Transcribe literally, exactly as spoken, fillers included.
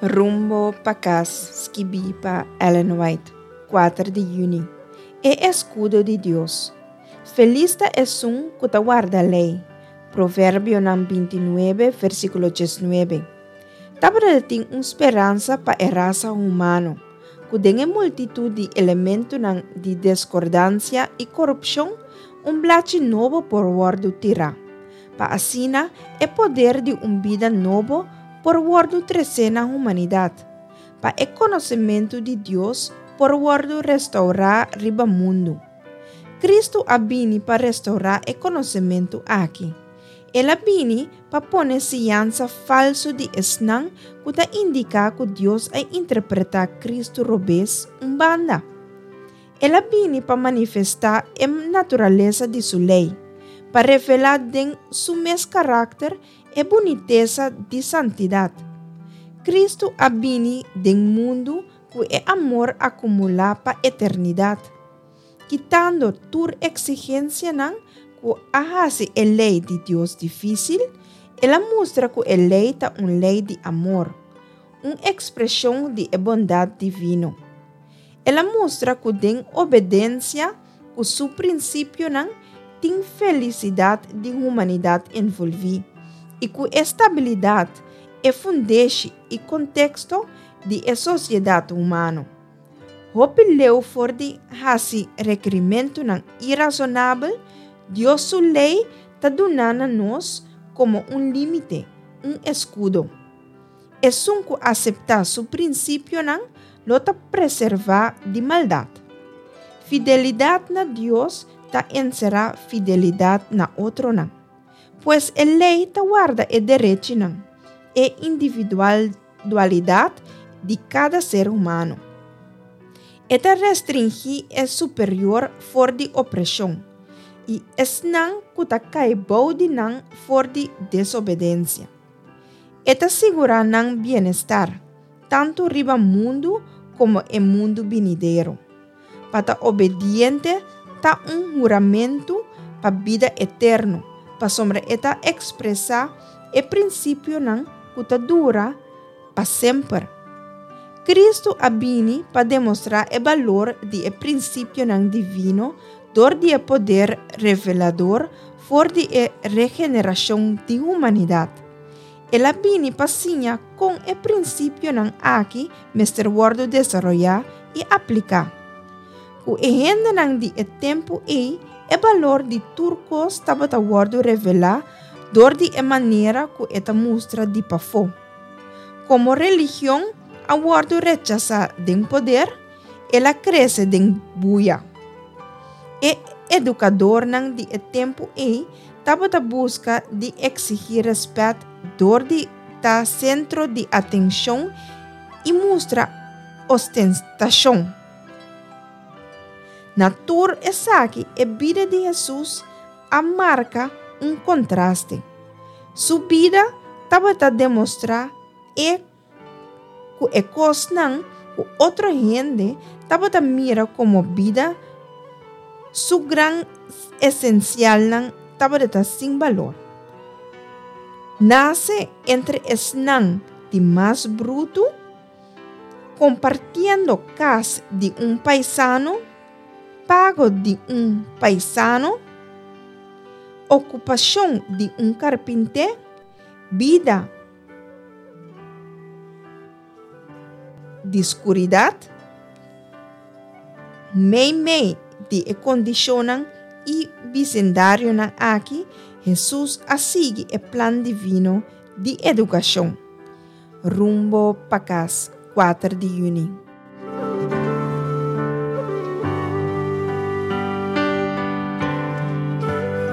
Rumbo pa Kas, skibí pa Ellen White, kuater di yüni. E Eskudo di Dios. Felis ta esun ku ta warda lei. Proverbionan binti nuebe, versíkulo diesnuebe. Tabata tin un speransa pa e rasa humano, ku den e multitut di elementonan di deskordansia i korupshon, un blachi nobo por wòrdu tirá, pa asina e poder di un bida nobo por wòrdu tresé na humanidat, pa e konosementu di Dios por wòrdu restourá riba mundu. Kristu a bini pa restourá e konosementu aki. El a bini pa pone siñansa falsu di esnan ku ta indiká ku Dios a interpretá Kristu robes un banda. El a bini pa manifestá e naturalesa di su lei, pa revelá den su mes karakter e bunitesa di santidat. Kristu a bini den mundu ku e amor akumulá pa eternidat, kitando tur eksigensianan ku a hasi e lei di Dios difísil. El a mustra ku e lei ta un lei di amor, un ekspreshon di e bondat divino. El a mustra ku den obedensia ku su prinsipionan tin felisidat di humanidat envolví i ku e stabilidat, e fundeshi i konteksto di e sosiedat humano. Hopi leu for di hasi rekerimentunan irasonabel, Dios su lei ta duna na nos komo un límite, un eskudo. Esun ku aseptá su prinsipionan lo ta preservá di maldat. Fidelidat na Dios ta enserá fidelidat na otronan. Pues e lei ta warda e derechinan, e individualidat di kada ser humano. E ta restringí e superior for di opreshon i esnan ku ta kai bou di nan for di desobedensia. E ta sigurá nan bienestar, tantu riba mundu komo e mundu binidero. Pa ta obediente ta un huramentu pa bida eterno, pasobra e ta ekspresá e prinsipionan ku ta dura pa semper. Kristu a bini pa demostrá e balor di e prinsipionan divino dor di e poder revelador for di e regenerashon di humanidat. El a bini pa siña kon e prinsipionan aki mester wòrdu desaroyá i apliká. Ku e hendenan di e tempu ei, e balor di tur kos tabata wòrdu revelá dor di e manera ku e ta mustra di pafó. Komo religion a wòrdu rechasá den poder, el a krese den buya. E edukadornan di e tempu ei tabata buska di eksigí rèspèt dor di ta sentro di atenshon i mustra ostentashon. Na tur esaki e bida di Hesus a marka un kontraste. Su bida tabata demostrá e ku e kosnan ku otro hende tabata mira komo bida su gran esensialnan tabata sin balor. Nase entre esnan di mas brutu, kompartiendo kas di un paisano, pago di un paisano, okupashon di un karpinté, bida di skuridat, meimei di e kondishonnan i bisendarionan aki, Hesus a sigui e plan divino di edukashon. Rumbo pa Kas, kuater di yüni.